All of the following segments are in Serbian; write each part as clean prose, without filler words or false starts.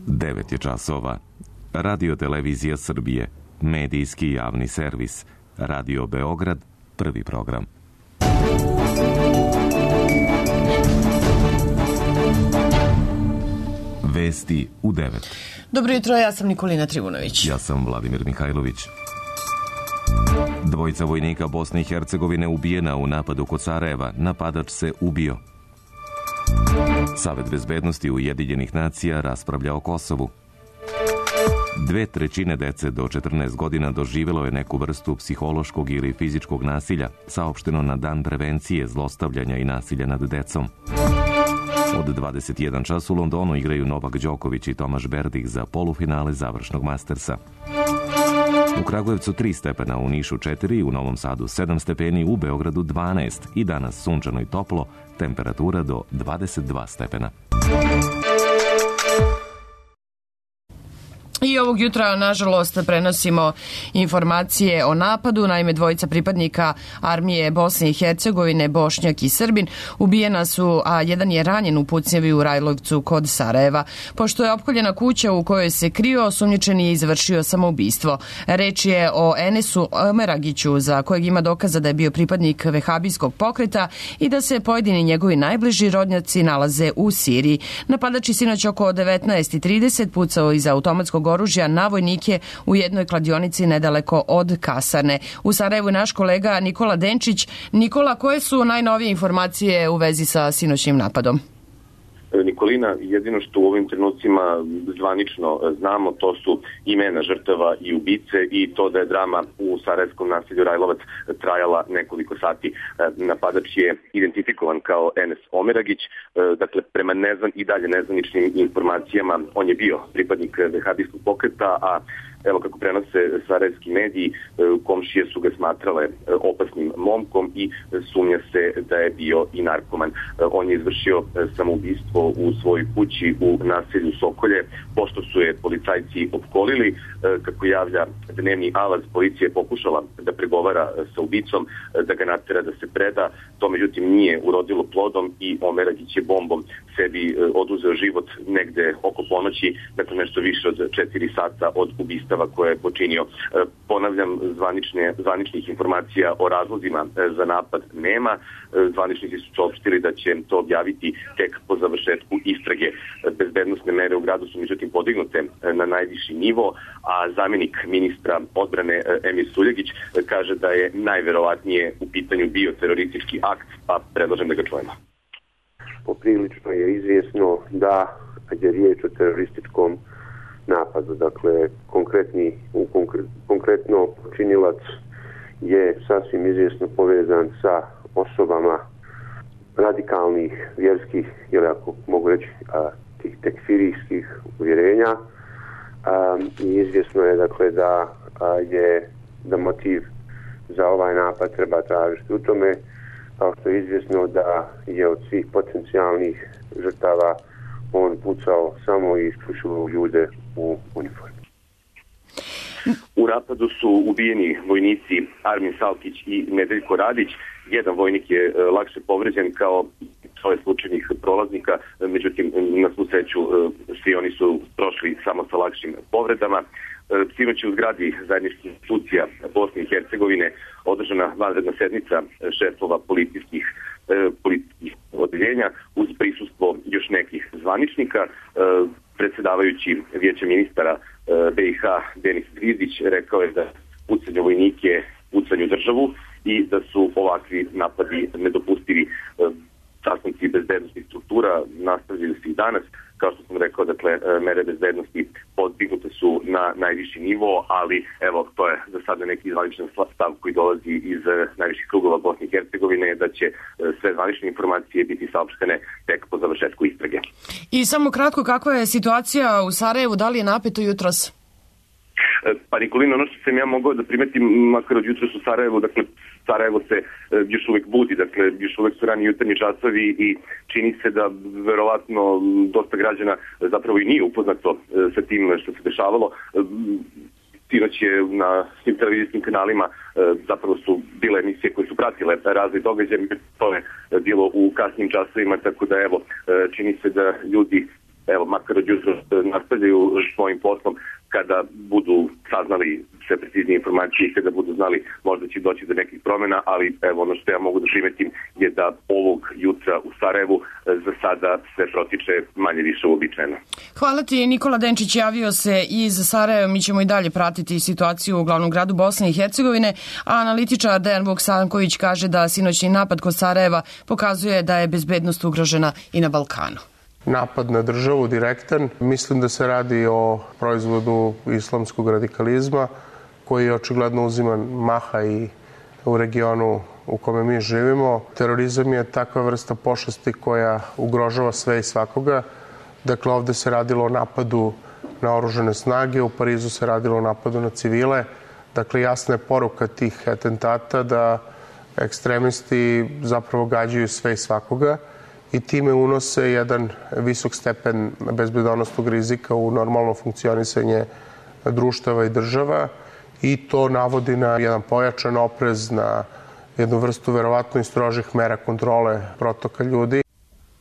9 je časova. Radio Televizija Srbije, medijski javni servis. Radio Beograd, prvi program. Vesti u 9. Dobro jutro, ja sam Nikolina Trivunović. Ja sam Vladimir Mihajlović. Dvojica vojnika Bosne i Hercegovine ubijena u napadu kod Sarajeva. Napadač se ubio. Savet bezbednosti Ujedinjenih nacija raspravlja o Kosovu. 2/3 dece do 14 godina doživjelo je neku vrstu psihološkog ili fizičkog nasilja, saopšteno na Dan prevencije zlostavljanja i nasilja nad decom. Od 21 čas u Londonu igraju Novak Đoković i Tomaš Berdih za polufinale završnog Mastersa. U Kragujevcu 3 stepena, u Nišu 4, u Novom Sadu 7 stepeni, u Beogradu 12 i danas sunčano i toplo, temperatura do 22 stepena. I ovog jutra, nažalost, prenosimo informacije o napadu. Naime, dvojica pripadnika armije Bosne i Hercegovine, Bošnjak i Srbin, ubijena su, a jedan je ranjen u pucnjavi u Rajlovcu kod Sarajeva. Pošto je opkoljena kuća u kojoj se krio, osumnjičeni je izvršio samoubistvo. Reč je o Enesu Omeragiću, za kojeg ima dokaza da je bio pripadnik vehabijskog pokreta i da se pojedini njegovi najbliži rodnjaci nalaze u Siriji. Napadač je sinoć oko 19:30 pucao iz automatskog oružja na vojnike u jednoj kladionici nedaleko od kasarne. U Sarajevu je naš kolega Nikola Denčić. Nikola, koje su najnovije informacije u vezi sa sinoćnim napadom? Nikolina, jedino što u ovim trenucima zvanično znamo, to su imena žrtava i ubice i to da je drama u sarajevskom naselju Rajlovac trajala nekoliko sati. Napadač je identifikovan kao Enes Omeragić, dakle prema i dalje nezvaničnim informacijama on je bio pripadnik vehabijskog pokreta, a evo kako prenose sarajevski mediji, komšije su ga smatrale opasnim momkom i sumnja se da je bio i narkoman. On je izvršio samoubistvo u svojoj kući u naselju Sokolje, pošto su je policajci opkolili. Kako javlja dnevni Alaz, policija je pokušala da pregovara sa ubicom, da ga natera da se preda. To međutim nije urodilo plodom i Omeragić je bombom sebi oduzeo život negde oko ponoći, dakle nešto više od 4 sata od ubistava koje je počinio. Ponavljam, zvaničnih informacija o razlozima za napad nema. Zvaničnici su saopštili da će to objaviti tek po završetku istrage. Bezbednosne mere u gradu su međutim podignute na najviši nivo, a zamjenik ministra odbrane Emir Suljegić kaže da je najverovatnije u pitanju bio teroristički akt, pa predlažem da ga čujemo. Poprilično je izvjesno da je riječ o terorističkom napadu. Dakle, konkretno počinilac je sasvim izvjesno povezan sa osobama radikalnih, vjerskih, ili ako mogu reći tih tekfirijskih uvjerenja. I izvjesno je dakle da motiv za ovaj napad treba tražiti u tome, kao što je izvjesno da je od svih potencijalnih žrtava on pucao samo i isključivo ljude u uniformi. U napadu su ubijeni vojnici Armin Salkić i Nedeljko Radić. Jedan vojnik je lakše povređen kao svoje slučajnih prolaznika, međutim na svu sreću svi oni su prošli samo sa lakšim povredama. Sinoć je u zgradi zajedničkih institucija Bosne i Hercegovine održana vanredna sednica šefova policijskih odeljenja uz prisustvo još nekih zvaničnika. Predsjedavajući Vijeća ministara BiH Denis Grizdić rekao je da pucanje vojnike pucanju državu i da su ovakvi napadi nedopustivi. Sastanci bezbednosti struktura nastavljaju se i danas. Kao što sam rekao, dakle, mere bezbednosti podignute su na najviši nivo, ali evo, to je za sada neki zvaničan stav koji dolazi iz najviših krugova Bosne i Hercegovine, da će sve zvanične informacije biti saopštene tek po završetku istrage. I samo kratko, kakva je situacija u Sarajevu, da li je napeto jutros? Pa Nikolina, ono što sam ja mogao da primetim, makar od jutros u Sarajevu, dakle, Sarajevo se još uvek budi, dakle, još uvek su rani jutarnji časovi i čini se da verovatno dosta građana zapravo i nije upoznato sa tim što se dešavalo. Sinoć je na svim televizijskim kanalima zapravo su bile emisije koje su pratile razne događaje, to je bilo u kasnim časovima, tako da evo, čini se da ljudi evo, makar od jutro nastavljaju svojim poslom, kada budu saznali sve preciznije informacije i kada budu znali možda će doći do nekih promjena, ali evo ono što ja mogu da primetim je da ovog jutra u Sarajevu za sada sve protiče manje više uobičajeno. Hvala ti, Nikola Denčić javio se iz Sarajeva. Mi ćemo i dalje pratiti situaciju u glavnom gradu Bosne i Hercegovine, a analitičar Dejan Vuksanković kaže da sinoćni napad kod Sarajeva pokazuje da je bezbednost ugrožena i na Balkanu. Napad na državu direktan. Mislim da se radi o proizvodu islamskog radikalizma koji očigledno uzima maha i u regionu u kome mi živimo. Terorizam je takva vrsta pošasti koja ugrožava sve i svakoga. Dakle, ovde se radilo o napadu na oružane snage, u Parizu se radilo o napadu na civile. Dakle, jasna je poruka tih atentata da ekstremisti zapravo gađaju sve i svakoga i time unose jedan visok stepen bezbednosnog rizika u normalno funkcionisanje društava i država i to navodi na jedan pojačan oprez, na jednu vrstu verovatno i strožih mera kontrole protoka ljudi.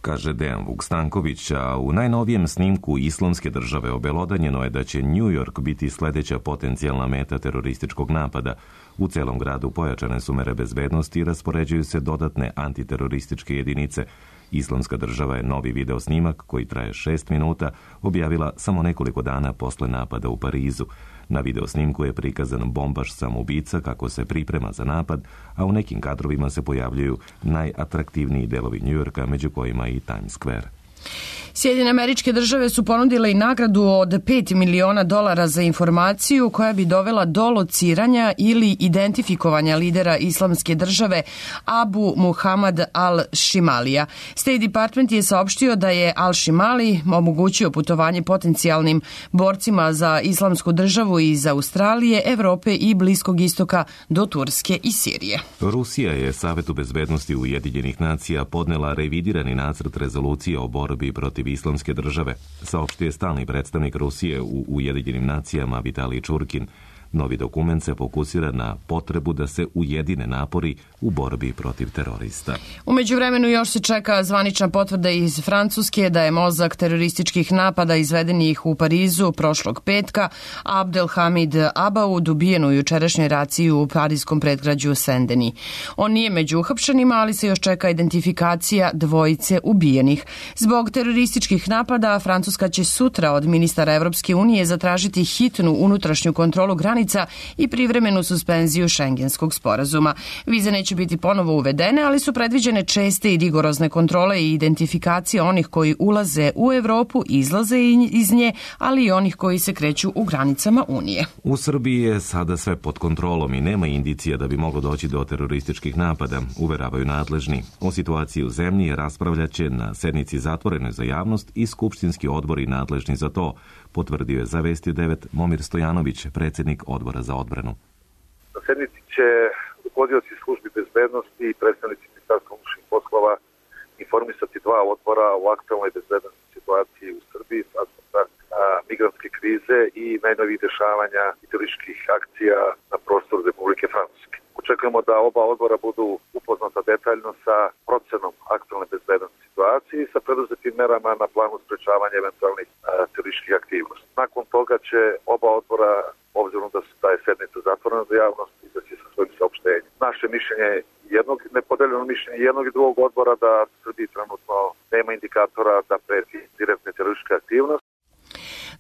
Kaže Dejan Vukstanković, a u najnovijem snimku Islamske države obelodanjeno je da će New York biti sledeća potencijalna meta terorističkog napada. U celom gradu pojačane su mere bezbednosti i raspoređuju se dodatne antiterorističke jedinice. Islamska država je novi video snimak, koji traje 6 minuta, objavila samo nekoliko dana posle napada u Parizu. Na video snimku je prikazan bombaš samoubica kako se priprema za napad, a u nekim kadrovima se pojavljuju najatraktivniji delovi Njujorka, među kojima i Times Square. Sjedinjene Američke Države su ponudile i nagradu od $5 miliona za informaciju koja bi dovela do lociranja ili identifikovanja lidera Islamske države Abu Muhammad al-Shimalija. State Department je saopštio da je al-Shimali omogućio putovanje potencijalnim borcima za Islamsku državu iz Australije, Evrope i Bliskog istoka do Turske i Sirije. Rusija je Savetu bezbednosti Ujedinjenih nacija podnela revidirani nacrt rezolucije o borbi protiv Islamske države, saopštio je stalni predstavnik Rusije u Ujedinjenim nacijama Vitalij Čurkin. Novi dokument se fokusira na potrebu da se ujedine napori u borbi protiv terorista. U međuvremenu još se čeka zvanična potvrda iz Francuske da je mozak terorističkih napada izvedenih u Parizu prošlog petka Abdelhamid Abaoud ubijen u jučerašnjoj raciji u parijskom predgrađu Saint-Denis. On nije među uhapšenima, ali se još čeka identifikacija dvojice ubijenih. Zbog terorističkih napada Francuska će sutra od ministara Evropske unije zatražiti hitnu unutrašnju kontrolu granica i privremenu suspenziju Šengenskog sporazuma. Vize neće biti ponovo uvedene, ali su predviđene česte i rigorozne kontrole i identifikacije onih koji ulaze u Evropu, izlaze iz nje, ali i onih koji se kreću u granicama Unije. U Srbiji je sada sve pod kontrolom i nema indicija da bi moglo doći do terorističkih napada, uveravaju nadležni. O situaciji u zemlji raspravljaće na sednici zatvorenoj za javnost i skupštinski odbori nadležni za to, potvrdio je za Vesti 9 Momir Stojanović, predsjednik Odbora za odbranu. Na sednici će rukovodioci službi bezbednosti i predstavnici Ministarstva unutrašnjih poslova informisati dva odbora o aktualnoj bezbednostnoj situaciji u Srbiji, migrantske krize i najnovijih dešavanja i terorističkih akcija na prostoru Republike Francuske. Očekujemo da oba odbora budu upoznata detaljno sa procenom aktualne bezbednostne situacije i sa preduzetim merama na planu sprečavanja eventualnih terorističkih aktivnosti. Nakon toga će oba odbora, obzirom da je sednica zatvorena za javnost, izaći sa svojim saopštenjem. Naše mišljenje je nepodeljeno mišljenje jednog i drugog odbora da u Srbiji trenutno nema indikatora da preti direktne terorističke aktivnosti.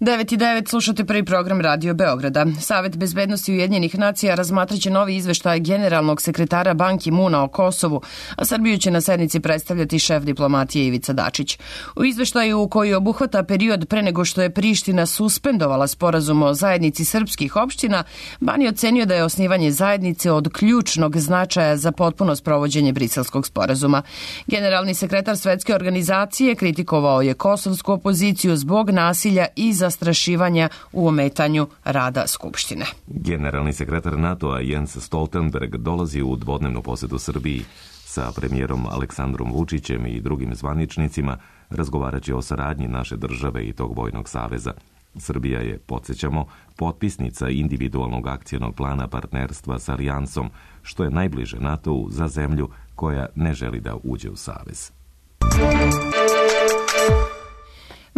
9:09 slušate prvi program Radio Beograda. Savet bezbednosti Ujedinjenih nacija razmatraće novi izveštaj generalnog sekretara Ban Ki-moona o Kosovu, a Srbiju će na sednici predstavljati šef diplomatije Ivica Dačić. U izveštaju koji obuhvata period pre nego što je Priština suspendovala sporazum o zajednici srpskih opština, Ban je ocenio da je osnivanje zajednice od ključnog značaja za potpuno sprovođenje Briselskog sporazuma. Generalni sekretar Svetske organizacije kritikovao je kosovsku opoziciju zbog nasilja i zastrašivanja u ometanju rada Skupštine. Generalni sekretar NATO-a Jens Stoltenberg dolazi u dvodnevnu posetu Srbiji. Sa premijerom Aleksandrom Vučićem i drugim zvaničnicima razgovarat će o saradnji naše države i tog vojnog saveza. Srbija je, podsjećamo, potpisnica individualnog akcionog plana partnerstva s Alijansom, što je najbliže NATO-u za zemlju koja ne želi da uđe u savez.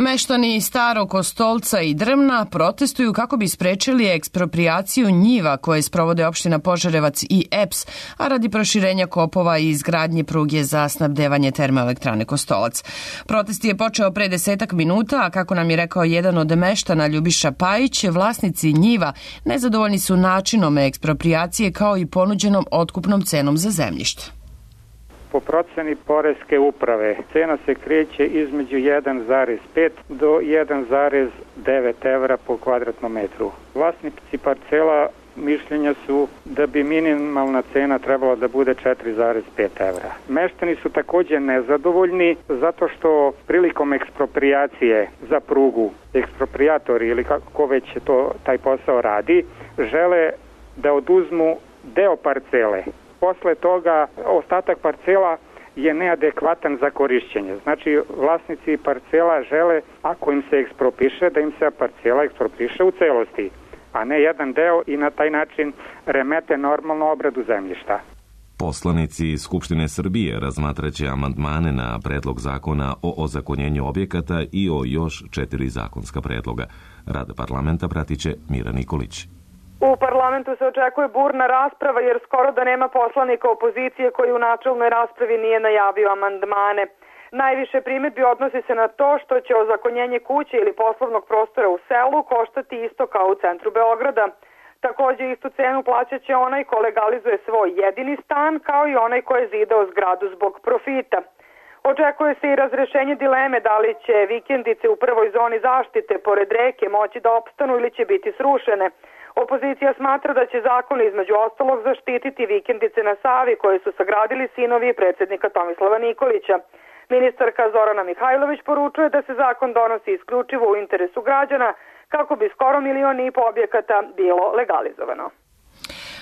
Meštani Starog Kostolca i Drmna protestuju kako bi sprečili eksproprijaciju njiva koje sprovode opština Požarevac i EPS, a radi proširenja kopova i izgradnje pruge za snabdevanje termoelektrane Kostolac. Protest je počeo pre 10 minuta, a kako nam je rekao jedan od meštana Ljubiša Pajić, vlasnici njiva nezadovoljni su načinom eksproprijacije kao i ponuđenom otkupnom cenom za zemljište. Po proceni Poreske uprave cena se kreće između 1,5 do 1,9 evra po kvadratnom metru. Vlasnici parcela mišljenja su da bi minimalna cena trebala da bude 4,5 evra. Meštani su takođe nezadovoljni zato što prilikom eksproprijacije za prugu, eksproprijatori ili kako već taj posao radi, žele da oduzmu deo parcele. Posle toga ostatak parcela je neadekvatan za korišćenje. Znači, vlasnici parcela žele, ako im se ekspropiše, da im se parcela ekspropiše u celosti, a ne jedan deo i na taj način remete normalnu obradu zemljišta. Poslanici Skupštine Srbije razmatraće amandmane na predlog zakona o ozakonjenju objekata i o još 4 zakonska predloga. Rad parlamenta pratiće Mira Nikolić. U parlamentu se očekuje burna rasprava jer skoro da nema poslanika opozicije koji u načelnoj raspravi nije najavio amandmane. Najviše primedbi odnosi se na to što će ozakonjenje kuće ili poslovnog prostora u selu koštati isto kao u centru Beograda. Takođe istu cenu plaćat će onaj ko legalizuje svoj jedini stan kao i onaj ko je zidao zgradu zbog profita. Očekuje se i razrešenje dileme da li će vikendice u prvoj zoni zaštite pored reke moći da opstanu ili će biti srušene. Opozicija smatra da će zakon između ostalog zaštititi vikendice na Savi koje su sagradili sinovi predsjednika Tomislava Nikolića. Ministarka Zorana Mihajlović poručuje da se zakon donosi isključivo u interesu građana kako bi skoro 1,5 miliona objekata bilo legalizovano.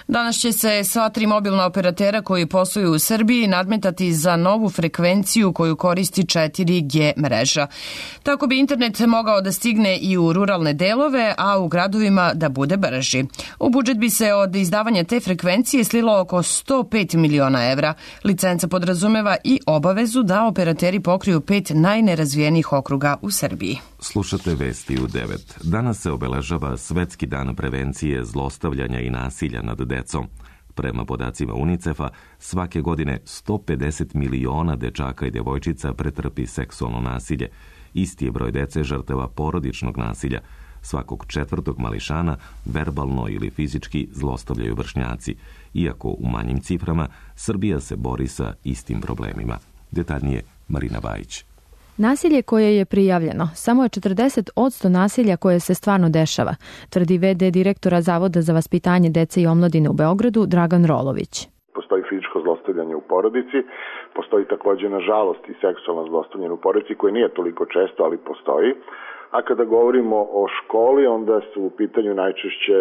Danas će se sva 3 mobilna operatera koji posluju u Srbiji nadmetati za novu frekvenciju koju koristi 4G mreža. Tako bi internet mogao da stigne i u ruralne delove, a u gradovima da bude brži. U budžet bi se od izdavanja te frekvencije slilo oko 105 miliona evra. Licenca podrazumeva i obavezu da operateri pokriju 5 najnerazvijenijih okruga u Srbiji. Slušate vesti u 9. Danas se obeležava Svetski dan prevencije zlostavljanja i nasilja nad decom. Prema podacima UNICEF-a, svake godine 150 miliona dečaka i devojčica pretrpi seksualno nasilje. Isti je broj dece žrtava porodičnog nasilja. Svakog 4. mališana verbalno ili fizički zlostavljaju vršnjaci. Iako u manjim ciframa, Srbija se bori sa istim problemima. Detaljnije Marina Bajić. Nasilje koje je prijavljeno, samo je 40% nasilja koje se stvarno dešava, tvrdi VD direktora Zavoda za vaspitanje dece i omladine u Beogradu Dragan Rolović. Postoji fizičko zlostavljanje u porodici, postoji takođe nažalost i seksualno zlostavljanje u porodici koje nije toliko često, ali postoji. A kada govorimo o školi, onda su u pitanju najčešće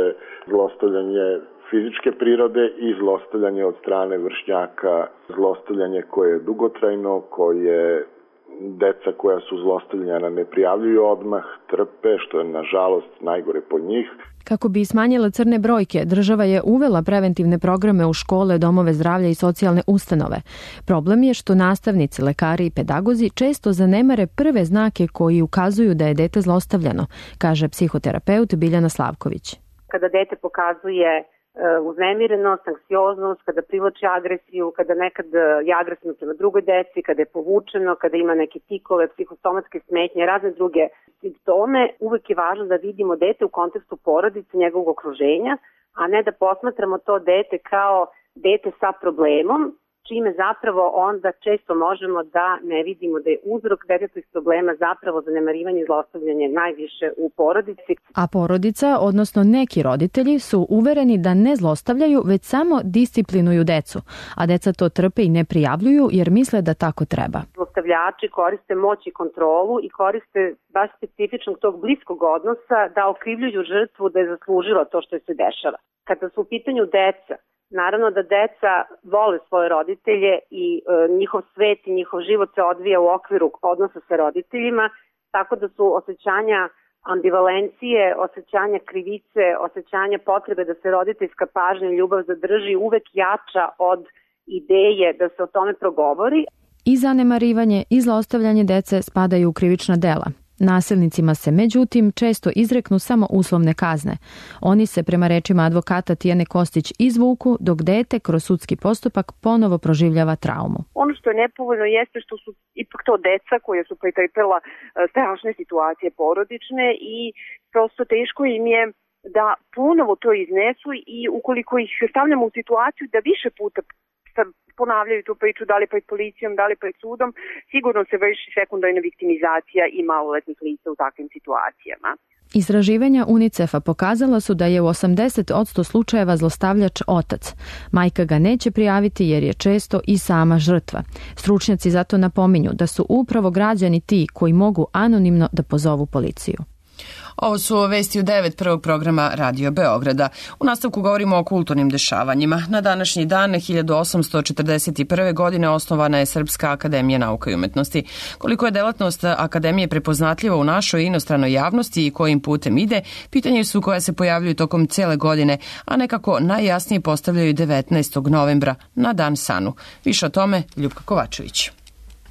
zlostavljanje fizičke prirode i zlostavljanje od strane vršnjaka, zlostavljanje koje je dugotrajno, koje deca koja su zlostavljena ne prijavljuju odmah, trpe, što je nažalost najgore po njih. Kako bi smanjila crne brojke, država je uvela preventivne programe u škole, domove zdravlja i socijalne ustanove. Problem je što nastavnici, lekari i pedagozi često zanemare prve znake koji ukazuju da je dete zlostavljano, kaže psihoterapeut Biljana Slavković. Kada dete pokazuje uznemirenost, anksioznost, kada privlači agresiju, kada nekad je agresivno prema drugoj deci, kada je povučeno, kada ima neke tikove, psihosomatske smetnje, razne druge simptome, uvek je važno da vidimo dete u kontekstu porodice, njegovog okruženja, a ne da posmatramo to dete kao dete sa problemom, čime zapravo onda često možemo da ne vidimo da je uzrok detetovih problema zapravo zanemarivanje i zlostavljanje najviše u porodici. A porodica, odnosno neki roditelji, su uvereni da ne zlostavljaju, već samo disciplinuju decu, a deca to trpe i ne prijavljuju jer misle da tako treba. Zlostavljači koriste moć i kontrolu i koriste baš specifičnog tog bliskog odnosa da okrivljuju žrtvu da je zaslužila to što se dešava. Kada su u pitanju deca, naravno da deca vole svoje roditelje i njihov svet i njihov život se odvija u okviru odnosa sa roditeljima, tako da su osjećanja ambivalencije, osjećanja krivice, osjećanja potrebe da se roditeljska pažnja i ljubav zadrži uvek jača od ideje da se o tome progovori. I zanemarivanje i zlostavljanje dece spadaju u krivična dela. Nasilnicima se međutim često izreknu samo uslovne kazne. Oni se prema rečima advokata Tijane Kostić izvuku dok dete kroz sudski postupak ponovo proživljava traumu. Ono što je nepovoljno jeste što su ipak to deca koja su pretrpela strašne situacije porodične i prosto teško im je da ponovo to iznesu i ukoliko ih stavljamo u situaciju da više puta ponavljaju tu priču, da li pred policijom, da li pred sudom, sigurno se vrši sekundarna viktimizacija i maloletnih lica u takvim situacijama. Istraživanja UNICEF-a pokazala su da je u 80% slučajeva zlostavljač otac. Majka ga neće prijaviti jer je često i sama žrtva. Stručnjaci zato napominju da su upravo građani ti koji mogu anonimno da pozovu policiju. Ovo su vesti u 9 prvog programa Radio Beograda. U nastavku govorimo o kulturnim dešavanjima. Na današnji dan 1841. godine osnovana je Srpska akademija nauka i umetnosti. Koliko je delatnost akademije prepoznatljiva u našoj inostranoj javnosti i kojim putem ide, pitanje su koja se pojavljuju tokom cele godine, a nekako najjasnije postavljaju 19. novembra na Dan Sanu. Više o tome Ljupka Kovačević.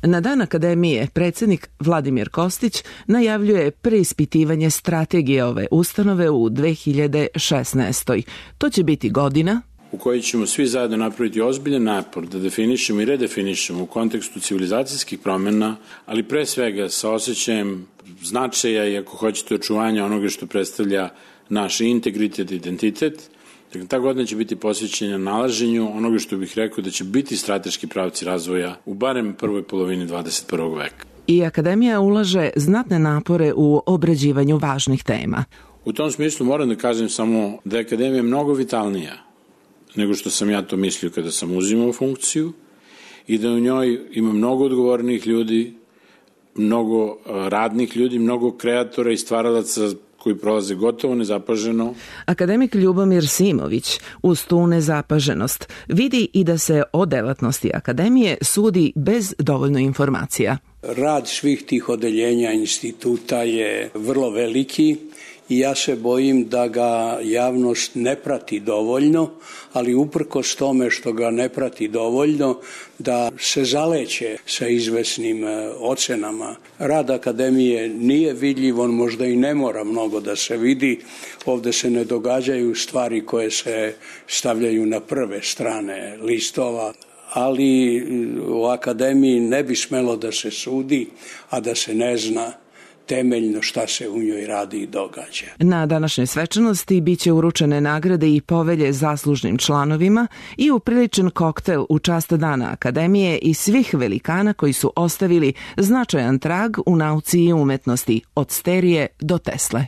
Na Dan Akademije predsjednik Vladimir Kostić najavljuje preispitivanje strategije ove ustanove u 2016. To će biti godina u kojoj ćemo svi zajedno napraviti ozbiljan napor da definišemo i redefinišemo u kontekstu civilizacijskih promjena, ali pre svega sa osjećajem značaja i ako hoćete očuvanja onoga što predstavlja naš integritet i identitet. Dakle, ta godina će biti posvećena nalaženju onoga što bih rekao da će biti strateški pravci razvoja u barem prvoj polovini 21. veka. I Akademija ulaže znatne napore u obrađivanju važnih tema. U tom smislu moram da kažem samo da je Akademija mnogo vitalnija nego što sam ja to mislio kada sam uzimao funkciju i da u njoj ima mnogo odgovornih ljudi, mnogo radnih ljudi, mnogo kreatora i stvaralaca koji prolaze gotovo nezapaženo. Akademik Ljubomir Simović uz tu nezapaženost vidi i da se o delatnosti Akademije sudi bez dovoljno informacija. Rad svih tih odeljenja instituta je vrlo veliki i ja se bojim da ga javnost ne prati dovoljno, ali uprkos tome što ga ne prati dovoljno, da se zaleće sa izvesnim ocenama. Rad Akademije nije vidljiv, on možda i ne mora mnogo da se vidi. Ovde se ne događaju stvari koje se stavljaju na prve strane listova, ali u Akademiji ne bi smelo da se sudi, a da se ne zna temeljno šta se u njoj radi i događa. Na današnjoj svečanosti biće uručene nagrade i povelje zaslužnim članovima i upriličen koktel u čast Dana Akademije i svih velikana koji su ostavili značajan trag u nauci i umetnosti, od Sterije do Tesle.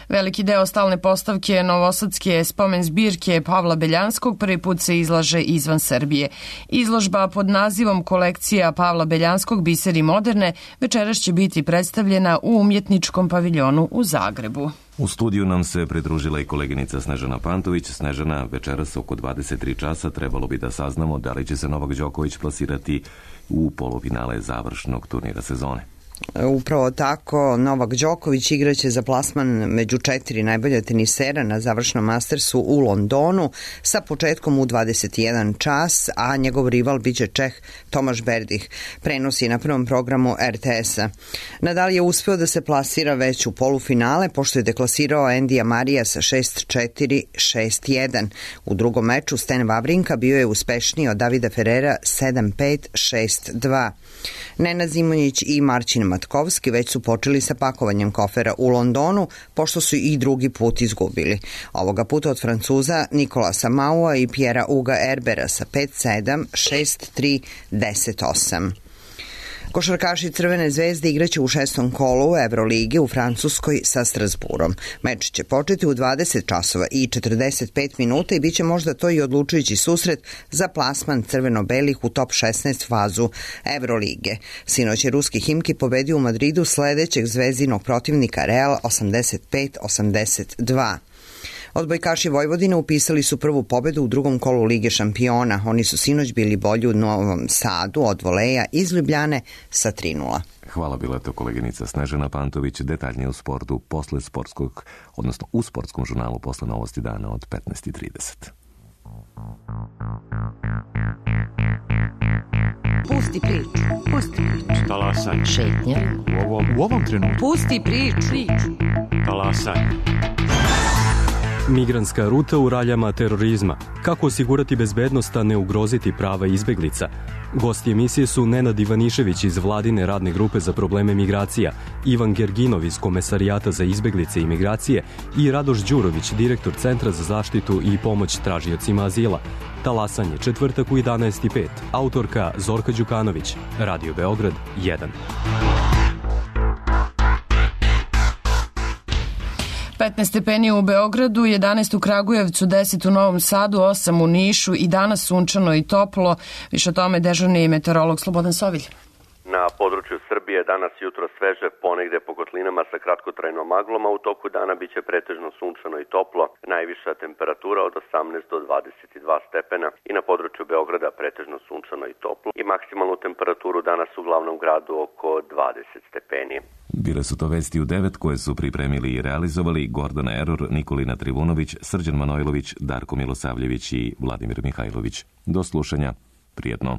Veliki deo stalne postavke novosadske spomen zbirke Pavla Beljanskog prvi put se izlaže izvan Srbije. Izložba pod nazivom Kolekcija Pavla Beljanskog Biseri moderne večeras će biti predstavljena u umjetničkom paviljonu u Zagrebu. U studiju nam se pridružila i koleginica Snežana Pantović. Snežana, večeras oko 23 časa trebalo bi da saznamo da li će se Novak Đoković plasirati u polufinale završnog turnira sezone. Upravo tako, Novak Đoković igraće za plasman među 4 najbolja tenisera na završnom Mastersu u Londonu sa početkom u 21 čas, a njegov rival biće Čeh Tomaš Berdih. Prenosi na prvom programu RTS-a. Nadal je uspeo da se plasira već u polufinale, pošto je deklasirao Endija Marija sa 6-4, 6-1. U drugom meču Sten Wawrinka bio je uspešniji od Davida Ferrera 7-5, 6-2. Nenad Zimonjić i Marcin Matkovski već su počeli sa pakovanjem kofera u Londonu, pošto su i drugi put izgubili. Ovoga puta od Francuza Nikolasa Maua i Pjera Uga Erbera sa 5-7, 6-3, 10-8. Košarkaši Crvene zvezde igraće u 6. kolu Evrolige u Francuskoj sa Strasburom. Meč će početi u 20 časova i 45 minuta i bit će možda to i odlučujući susret za plasman crveno-belih u top 16 fazu Evrolige. Sinoć je ruski Himki pobedio u Madridu sledećeg zvezdinog protivnika Real 85-82. Odbojkaši Vojvodine upisali su prvu pobedu u drugom kolu Lige šampiona. Oni su sinoć bili bolji u Novom Sadu od voleja iz Ljubljane sa 3-0. Hvala, bila to koleginica Snežana Pantović. Detaljnije u sportu posle sportskog, odnosno u sportskom žurnalu posle novosti dana od 15:30. Pusti priču. Pusti priču. Talasaj. Šetnja. U ovom trenutku. Pusti priču. Talasaj. Migrantska ruta u raljama terorizma. Kako osigurati bezbednost, a ne ugroziti prava izbeglica? Gosti emisije su Nenad Ivanišević iz Vladine radne grupe za probleme migracija, Ivan Gerginov iz Komesarijata za izbeglice i migracije i Radoš Đurović, direktor Centra za zaštitu i pomoć tražiocima azila. Talasanje, četvrtak u 11:05. Autorka Zorka Đukanović. Radio Beograd 1. 15 stepeni u Beogradu, 11 u Kragujevcu, 10 u Novom Sadu, 8 u Nišu i danas sunčano i toplo. Više o tome dežurni meteorolog Slobodan Sovilj. Na području Srbije danas jutro sveže, ponegde po kotlinama sa kratkotrajnom maglom, a u toku dana biće pretežno sunčano i toplo. Najviša temperatura od 18 do 22 stepena i na području Beograda pretežno sunčano i toplo. I maksimalnu temperaturu danas u glavnom gradu oko 20 stepeni. Bile su to vesti u 9 koje su pripremili i realizovali Gordana Eror, Nikolina Trivunović, Srđan Manojlović, Darko Milosavljević i Vladimir Mihajlović. Do slušanja. Prijetno.